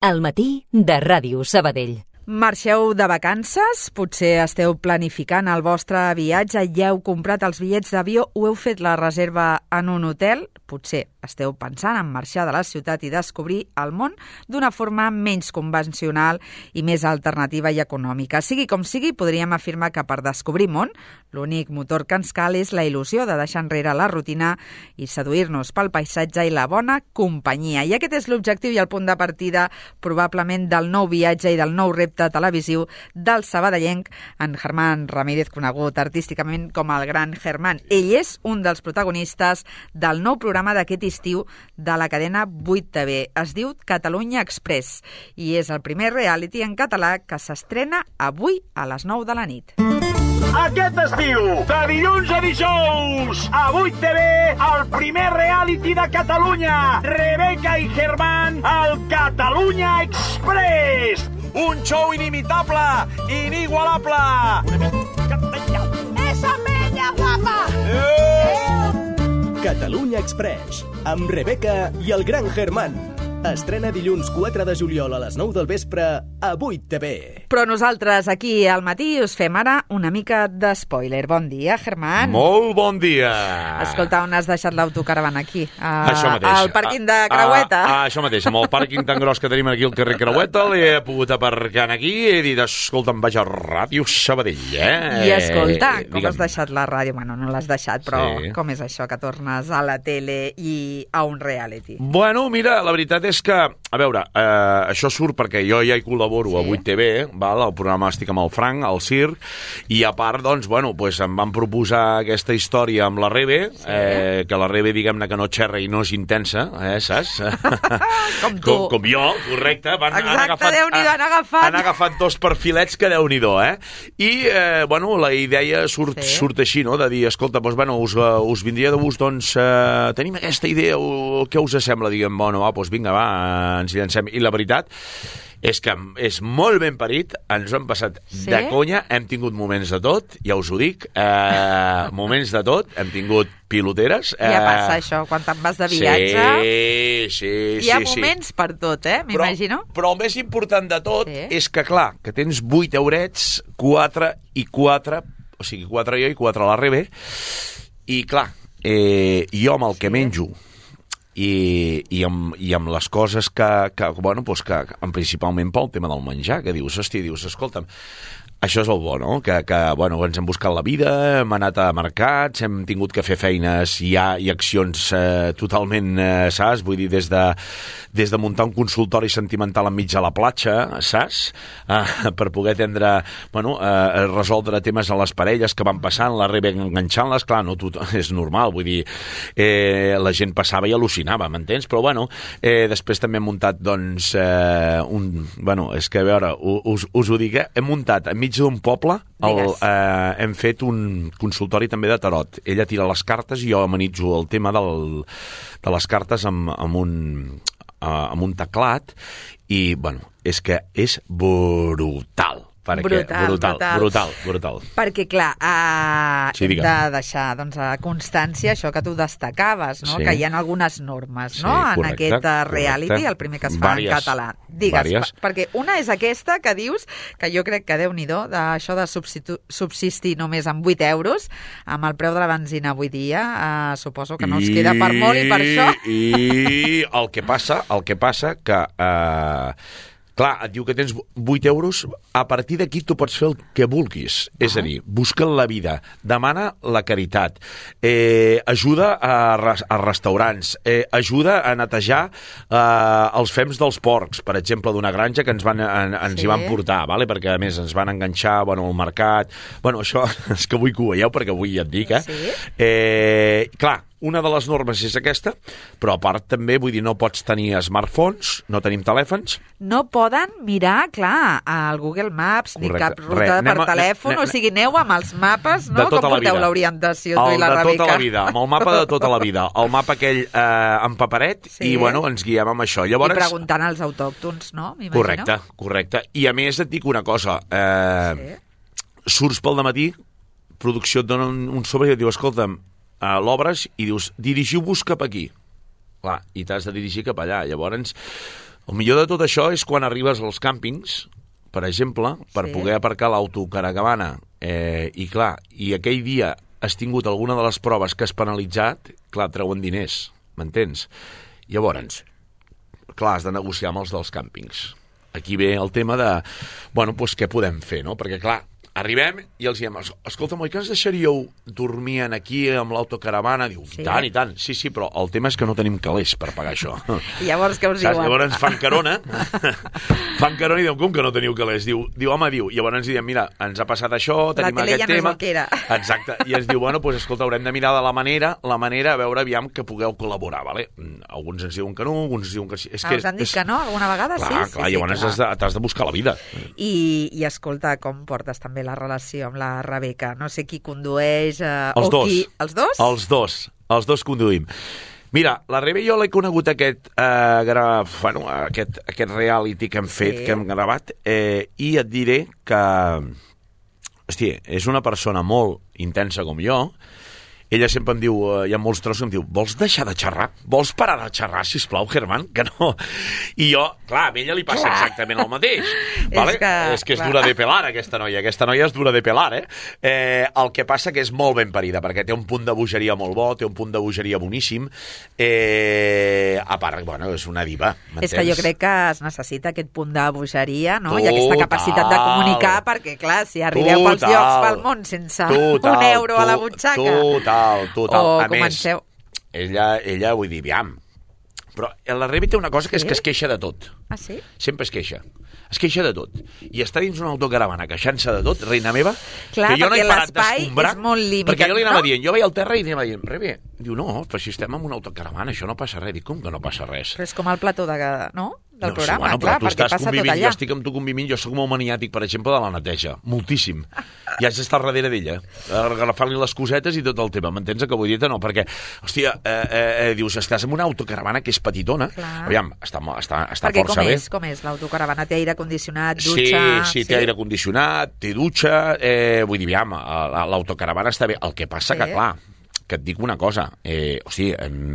Al matí de Ràdio Sabadell. Marxeu de vacances? Potser esteu planificant el vostre viatge, ja heu comprat els bitllets d'avió o heu fet la reserva en un hotel? Potser esteu pensant en marxar de la ciutat i descobrir el món d'una forma menys convencional i més alternativa i econòmica. Sigui com sigui, podríem afirmar que per descobrir món, l'únic motor que ens cal és la il·lusió de deixar enrere la rutina i seduir-nos pel paisatge i la bona companyia. I aquest és l'objectiu i el punt de partida probablement del nou viatge i del nou repte televisiu del sabadellenc en Germán Ramírez, conegut artísticament com el Gran Germán. Ell és un dels protagonistes del nou programa d'aquest estiu de la cadena 8TV. Es diu Catalunya Express i és el primer reality en català que s'estrena avui a les 9 de la nit. Aquest estiu, de dilluns a dijous, a 8TV, el primer reality de Catalunya. Rebeca i Germán, el Catalunya Express. Un show inimitable, inigualable. ¡Esa peña guapa! Catalunya Express, amb Rebeca i el Gran Germán. Estrena dilluns 4 de juliol a les 9 del vespre a 8TV. Però nosaltres aquí al matí us fem ara una mica de spoiler. Bon dia, Germán. Molt bon dia. Escolta, on has deixat l'autocaravana aquí? Això mateix. Al pàrquing de Creueta? Això mateix, amb el pàrquing tan gros que tenim aquí al carrer Creueta, l'he pogut aparcar aquí i he dit, escolta, em vaig a Ràdio Sabadell, I escolta, com digue'm. has deixat la ràdio? Bueno, no l'has deixat, però Sí. com és això que tornes a la tele i a un reality? Bueno, mira, la veritat és que, a veure, això surt perquè jo ja hi col·laboro a 8TV, val? El programa estic amb el Frank, al circ, i a part, doncs, bueno, pues em van proposar aquesta història amb la Rebe, que la Rebe, diguem-ne, que no xerra i no és intensa, saps? Com tu. Com jo, correcte. Exacte, Déu-n'hi-do, han agafat. Han agafat dos perfilets que Déu-n'hi-do, I, bueno, la idea surt així, no?, de dir, escolta, doncs, bueno, us vindria de gust, doncs, tenim aquesta idea, què us sembla? Diguem, bueno, va, doncs vinga, va, ens hi llancem. I la veritat és que és molt ben parit, ens ho hem passat de conya, hem tingut moments de tot, ja us ho dic, moments de tot, hem tingut piloteres. Ja passa això, quan te'n vas de viatge. Sí. Hi ha moments per tot, m'imagino. Però el més important de tot és que, clar, que tens 8 eurets, 4 i 4, o sigui, 4 jo i 4 a la Rebe, i clar, jo amb el que menjo, i amb les coses que bueno, doncs que principalment pel tema del menjar, que dius, escolta'm, això és el bo, no? Que bueno, ens hem buscat la vida, hem anat a mercats, hem tingut que fer feines i accions totalment, saps? Vull dir, des de muntar un consultori sentimental enmig de la platja, saps? Per poder resoldre temes a les parelles que van passant, la Rebe enganxant-les, clar, no, és normal, vull dir, la gent passava i al·lucinava, m'entens? Però, bueno, després també hem muntat, doncs, és que, a veure, us ho dic, hem muntat enmig d'un poble, hem fet un consultori també de tarot. Ella tira les cartes i jo amenitzo el tema de les cartes amb un teclat i, bueno, és que és brutal. Brutal. Perquè, clar, hem de deixar constància això que tu destacaves, no? Que hi ha algunes normes, no? En aquest reality, el primer que es fa en català. Digues, perquè una és aquesta que dius, que jo crec que Déu-n'hi-do, d'això de subsistir només amb 8 euros, amb el preu de la benzina avui dia, suposo que no us queda per molt i per això. I el que passa que... Clar, et diu que tens 8 euros, a partir d'aquí tu pots fer el que vulguis. És a dir, busca la vida, demana la caritat, ajuda a restaurants, ajuda a netejar els fems dels porcs, per exemple, d'una granja que ens hi van portar, vale? Perquè a més ens van enganxar al mercat. Bueno, això és que vull que ho veieu, perquè avui ja et dic, Clar, una de les normes és aquesta, però a part també, vull dir, no pots tenir smartphones, no tenim telèfons. No poden mirar, clar, al Google Maps, ni cap ruta per telèfon, o sigui, aneu amb els mapes, no? Com porteu l'orientació, tu i la Rebeca? El de tota la vida, amb el mapa de tota la vida, el mapa aquell en paperet, i, bueno, ens guiem amb això. I preguntant als autòctons, no? Correcte. I a més et dic una cosa, surts pel dematí, producció et dona un sobre i et diu, escolta'm, l'obres i dius, dirigiu-vos cap aquí. Clar, i t'has de dirigir cap allà. Llavors, El millor de tot això és quan arribes als càmpings, per exemple, per poder aparcar l'autocaravana, i clar, i aquell dia has tingut alguna de les proves que has penalitzat, clar, treuen diners, m'entens? Llavors, clar, has de negociar amb els dels càmpings. Aquí ve el tema de, bueno, doncs què podem fer, no? Perquè, clar, arribem i els diem, escolta, oi que ens deixaríeu dormir aquí amb l'autocaravana? Diu, i tant, sí, però el tema és que no tenim calés per pagar això. I llavors què us diuen? Llavors fan carona i diuen, com que no teniu calés? Diu, home, llavors ens diem, mira, ens ha passat això, tenim aquest tema. Exacte, i ens diu, bueno, doncs escolta, haurem de mirar de la manera, a veure, aviam, que pugueu col·laborar, vale? Alguns ens diuen que no, alguns ens diuen que sí. Us han dit que no, alguna vegada? Clar, llavors t'has de buscar la vida. I escolta, com portes també la relació amb la Rebeca? No sé qui condueix els dos. Els dos? Els dos conduïm. Mira, la Rebeca jo l'he conegut aquest reality que hem fet, que hem gravat, i et diré que, hòstia, és una persona molt intensa com jo. Ella sempre em diu, hi ha molts trossos, em diu, vols deixar de xerrar? Vols parar de xerrar, sisplau, Germán? Que no. I jo, clar, a ella li passa exactament el mateix. Vale? És que és dura de pelar, aquesta noia. Aquesta noia és dura de pelar, el que passa que és molt ben parida, perquè té un punt de bogeria molt bo, té un punt de bogeria boníssim. A part, bueno, és una diva, m'entens? És que jo crec que es necessita aquest punt de bogeria, no? I aquesta capacitat de comunicar, perquè, clar, si arribeu pels llocs pel món sense un euro a la butxaca... Total. A més, ella, vull dir, aviam. Però la Rebeca té una cosa que és que es queixa de tot. Ah, sí? Sempre es queixa. Es queixa de tot. I està dins una autocaravana queixant-se de tot, reina meva, clar, que jo no he parat d'escombrar. És molt limitat, perquè jo li anava dient, jo veia al terra i anava dient, Rebe, diu, no, però si estem en una autocaravana, això no passa res. Dic, com que no passa res? Però és com el plató del programa, bueno, clar, perquè passa tot allà. Jo estic amb tu convivint, jo soc molt maniàtic, per exemple, de la neteja, moltíssim. I haig d'estar darrere d'ella, agafar-li les cosetes i tot el tema, m'entens que vull dir-te? No, perquè, hòstia, dius, estàs en una autocaravana que és petitona, aviam, està perquè força bé. Com és l'autocaravana? Té aire condicionat, dutxa... Sí, té aire condicionat, té dutxa, vull dir, aviam, l'autocaravana està bé. El que passa que, clar, que et dic una cosa,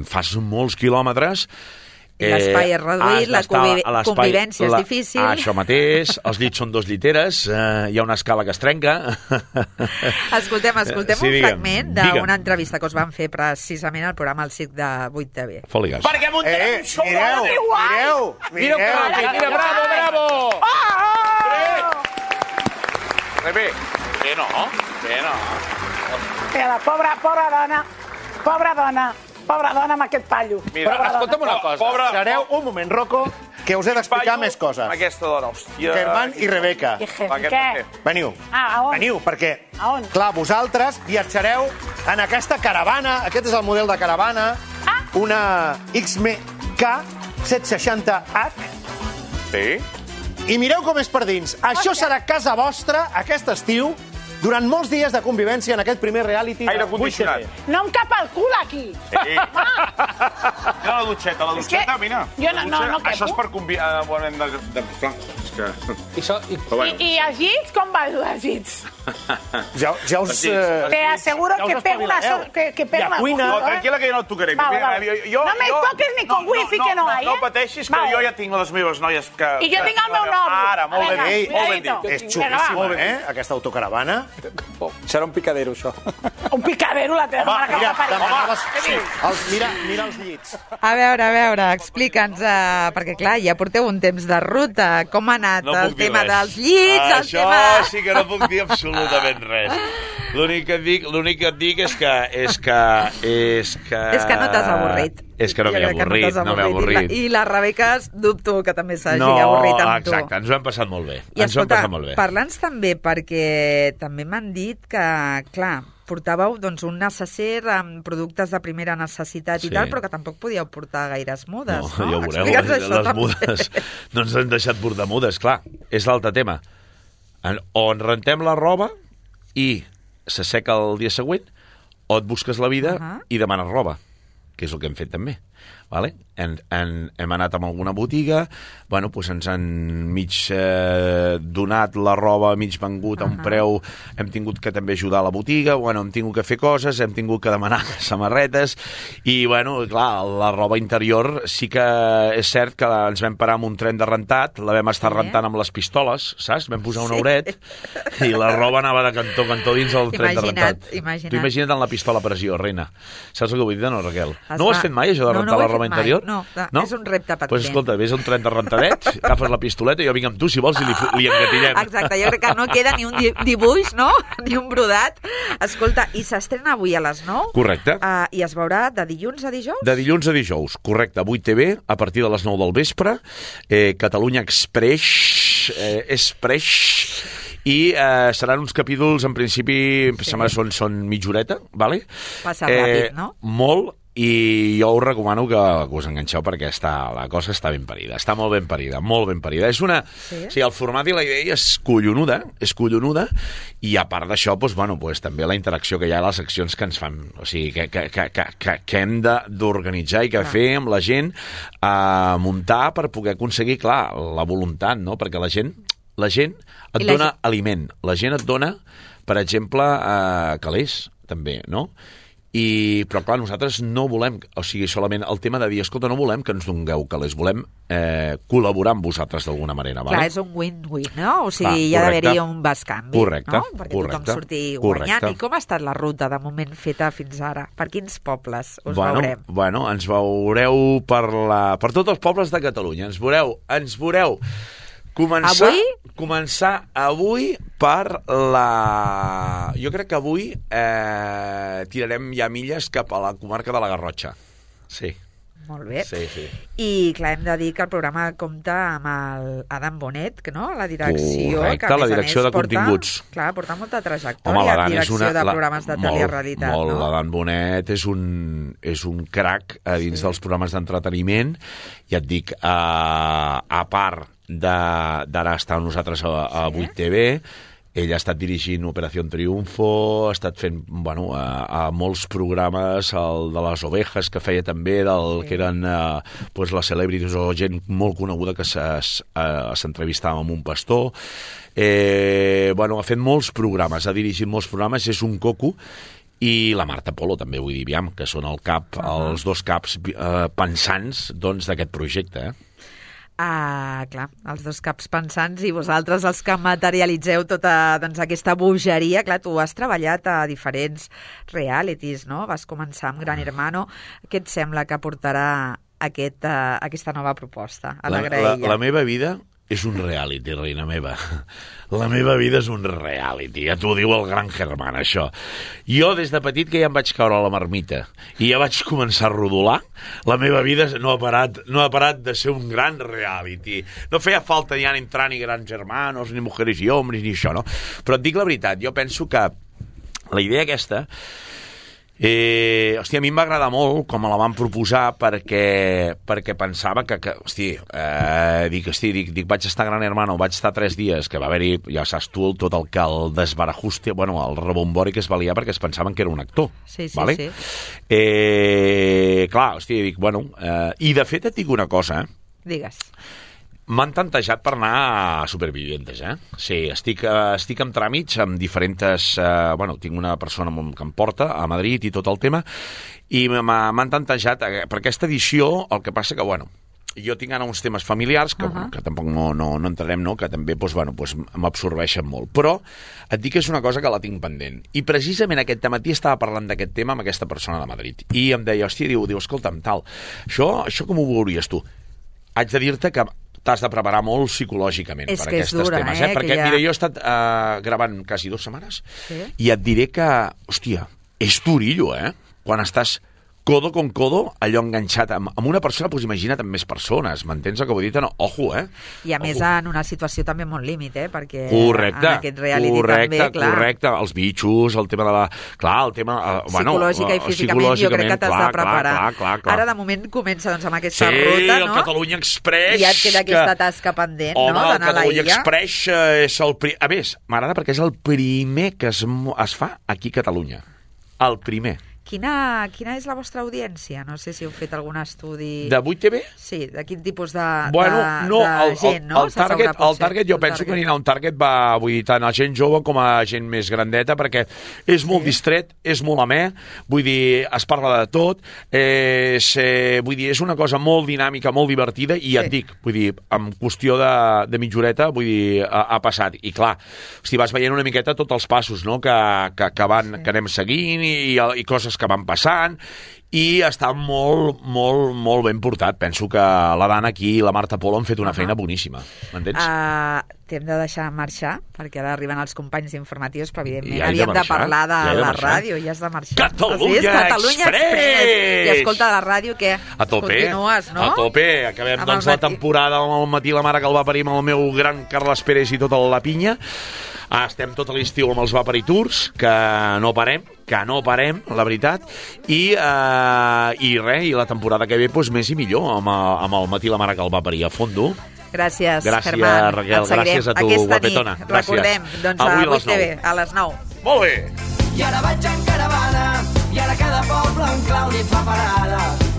fas molts quilòmetres. L'espai és reduït, la convivència és difícil. Això mateix, els llits són 2 lliteres, hi ha una escala que es trenca. Escoltem un fragment d'una entrevista que us van fer precisament al programa El Circ de 8TV. Foli-gas. Perquè muntem un show Mireu, bravo! Rebe, que no. Mira, pobra dona amb aquest pallo. Mira, escolta'm una cosa. Sereu un moment, Rocco, que us he d'explicar més coses. Aquesta dona, hòstia. Germán i Rebeca. Què? Veniu. A on? Veniu, perquè, A on? clar, vosaltres viatjareu en aquesta caravana, aquest és el model de caravana, una XMK 760H. Sí. I mireu com és per dins. Això serà casa vostra, aquest estiu, durant molts dies de convivència en aquest primer reality. Aire condicionat. No em cap el cul, aquí. Sí. Mira la dutxeta, mira. Jo no quepo. Això és per convivar... I els llits, com va els llits? Ja us... Te aseguro que pego una... Que pego una... cuina. No, tranquil·la, que jo no et tocaré. No me toques ni con wifi, que no hay, No pateixis, que jo ja tinc les meves noies que... I jo tinc el meu nòvio. Ara, molt ben dit. És xulíssima, aquesta autocaravana. Serà un picadero, això. Un picadero, la teva mare que va parir. Mira els llits. A veure, explica'ns, perquè clar, ja porteu un temps de ruta, com ha anat el tema dels llits, el tema... Això sí que no puc dir absolutament res. L'únic que et dic és que... És que no t'has avorrit. És que no m'he avorrit, I la Rebeca dubto que també s'hagi avorrit amb tu. Exacte, ens ho hem passat molt bé. I escolta, parla'ns també, perquè també m'han dit que, clar, portàveu un necesser amb productes de primera necessitat i tal, però que tampoc podíeu portar gaires mudes, no? Ja ho veureu, les mudes no ens han deixat portar mudes, clar, és l'altre tema. O en rentem la roba i s'asseca el dia següent, o et busques la vida i demanes roba, que és el que hem fet també. vale? Hem anat a alguna botiga, bueno, doncs ens han mig donat la roba, mig vengut a un preu, hem tingut que també ajudar a la botiga, bueno, hem tingut que fer coses, hem tingut que demanar samarretes, i, bueno, clar, la roba interior sí que és cert que ens vam parar amb un tren de rentat, la vam estar rentant amb les pistoles, saps? Vam posar un euret, i la roba anava de cantó a cantó dins el tren de rentat. Tu imagina't en la pistola a pressió, reina. Saps el que vull dir, no, Raquel? No ho has fet mai, això de rentar la roba interior? No, és un repte patent. Doncs escolta, vés a un tren de rentadet, agafes la pistoleta i jo vinc amb tu, si vols, i li engatillem. Exacte, jo crec que no queda ni un dibuix, no? Ni un brodat. Escolta, i s'estrena avui a les 9? Correcte. I es veurà de dilluns a dijous? De dilluns a dijous, correcte. 8TV, a partir de les 9 del vespre, Catalunya Express, i seran uns capítols, en principi, sembla que són mitja horeta, vale? Passa ràpid, no? Molt, i jo us recomano que us enganxeu perquè la cosa està ben parida, està molt ben parida, molt ben parida. És una... Sí? O sigui, el format i la idea és collonuda, i a part d'això, doncs, bueno, doncs, també la interacció que hi ha a les seccions que ens fan, o sigui, que hem d'organitzar i que fer amb la gent, muntar per poder aconseguir, clar, la voluntat, no? Perquè la gent et dona aliment, la gent et dona, per exemple, calés, també, no? Però clar, nosaltres no volem, o sigui, solament el tema de dir, escolta, no volem que ens dongueu calés, volem col·laborar amb vosaltres d'alguna manera. Clar, és un win-win, no? O sigui, hi ha d'haver-hi un bescanvi, no? Perquè tothom surti guanyant. I com ha estat la ruta de moment feta fins ara? Per quins pobles us veurem? Bueno, ens veureu per tots els pobles de Catalunya. Ens veureu començar avui per jo crec que avui tirarem ja milles cap a la comarca de la Garrotxa. Sí. Molt bé. Sí. I clar, hem de dir que el programa compta amb l'Adam Bonet, no? La direcció. Correcte, la direcció de continguts. Clar, porta molta trajectòria en direcció de programes de telerealitat, no? L'Adam Bonet és un crac a dins dels programes d'entreteniment. Ja et dic, a part d'ara estar amb nosaltres a 8TV, ell ha estat dirigint Operació Triunfo, ha estat fent, bueno, a molts programes, el de les ovejas que feia també, que eren les celebrities o gent molt coneguda que s'entrevistava amb un pastor. Bueno, ha fet molts programes, ha dirigit molts programes, és un coco. I la Marta Polo, també vull dir, que són els dos caps pensants d'aquest projecte, clar, els dos caps pensants i vosaltres els que materialitzeu tota aquesta bogeria. Clar, tu has treballat a diferents realities, no? Vas començar amb Gran Hermano. Què et sembla que portarà aquesta nova proposta a la graella? La meva vida és un reality, reina meva. La meva vida és un reality. Ja t'ho diu el Gran Hermano, això. Jo, des de petit, que ja em vaig caure a la marmita i ja vaig començar a rodolar, la meva vida no ha parat de ser un gran reality. No feia falta ja entrar ni Grans Hermanos, ni Mujeres i Hombres, ni això, no? Però et dic la veritat, jo penso que la idea aquesta... a mi em va agradar molt com me la van proposar perquè pensava que vaig estar a Gran Hermano, vaig estar 3 dies, que va haver-hi, ja saps tu, tot el desbarajuste, bueno, el rebombori que es va liar perquè es pensaven que era un actor. Sí. Clar, dic, bueno, i de fet et dic una cosa, Digues. M'han tantejat per anar a Supervivientes, Sí, estic en tràmits amb diferents... bueno, tinc una persona que em porta a Madrid i tot el tema, i m'han tantejat per aquesta edició. El que passa que, bueno, jo tinc ara uns temes familiars que, que tampoc no entrarem, no? Que també m'absorbeixen molt. Però et dic que és una cosa que la tinc pendent. I precisament aquest matí estava parlant d'aquest tema amb aquesta persona de Madrid. I em deia, diu, escolta'm, tal, això com ho veuries tu? Haig de dir-te que t'has de preparar molt psicològicament per aquests temes. Perquè, mira, jo he estat gravant quasi 2 setmanes i et diré que, hòstia, és durillo, quan estàs codo con codo, allò enganxat amb una persona, doncs imagina't amb més persones, m'entens el que vull dir? No, ojo, I a més en una situació també molt límit, perquè correcte, en aquest reality també, clar. Correcte, els bitxos, el tema de la... Clar, el tema... psicològica i físicament, jo crec que t'has de preparar. Clar. Ara, de moment, comença amb aquesta ruta, no? Sí, el Catalunya Express... I ja et queda aquesta tasca pendent, no? D'anar a la illa. El Catalunya Express és el... A més, m'agrada perquè és el primer que es fa aquí a Catalunya. El primer. Quina és la vostra audiència? No sé si heu fet algun estudi... De 8TV? Sí, de quin tipus de gent, no? El target jo penso que anirà un target, vull dir, tant a gent jove com a gent més grandeta, perquè és molt distret, és molt amè, vull dir, es parla de tot, vull dir, és una cosa molt dinàmica, molt divertida, i ja et dic, vull dir, en qüestió de mitjoreta, vull dir, ha passat. I clar, si vas veient una miqueta tots els passos, no?, que anem seguint i coses que van passant, i està molt, molt, molt ben portat. Penso que la Dana aquí i la Marta Polo han fet una feina boníssima. M'entens? T'hem de deixar marxar, perquè ara arriben els companys informatius, però evidentment havíem de parlar de la ràdio, i has de marxar. Catalunya Express! I escolta, la ràdio, què? A tope, continues, no? A tope. Acabem doncs la temporada al matí la mare que el va parir amb el meu gran Carles Pérez i tota la pinya. Estem tot l'estiu amb els Vapari Tours, que no parem, la veritat, i la temporada que ve doncs, més i millor, amb el matí la mare que el va parir a fondo. Gràcies, Herman. Raquel, gràcies a tu, guapetona. Nit, recordem, doncs a 8TV, a les 9. Molt bé. I ara vaig en caravana, i ara cada poble en clau li fa parada.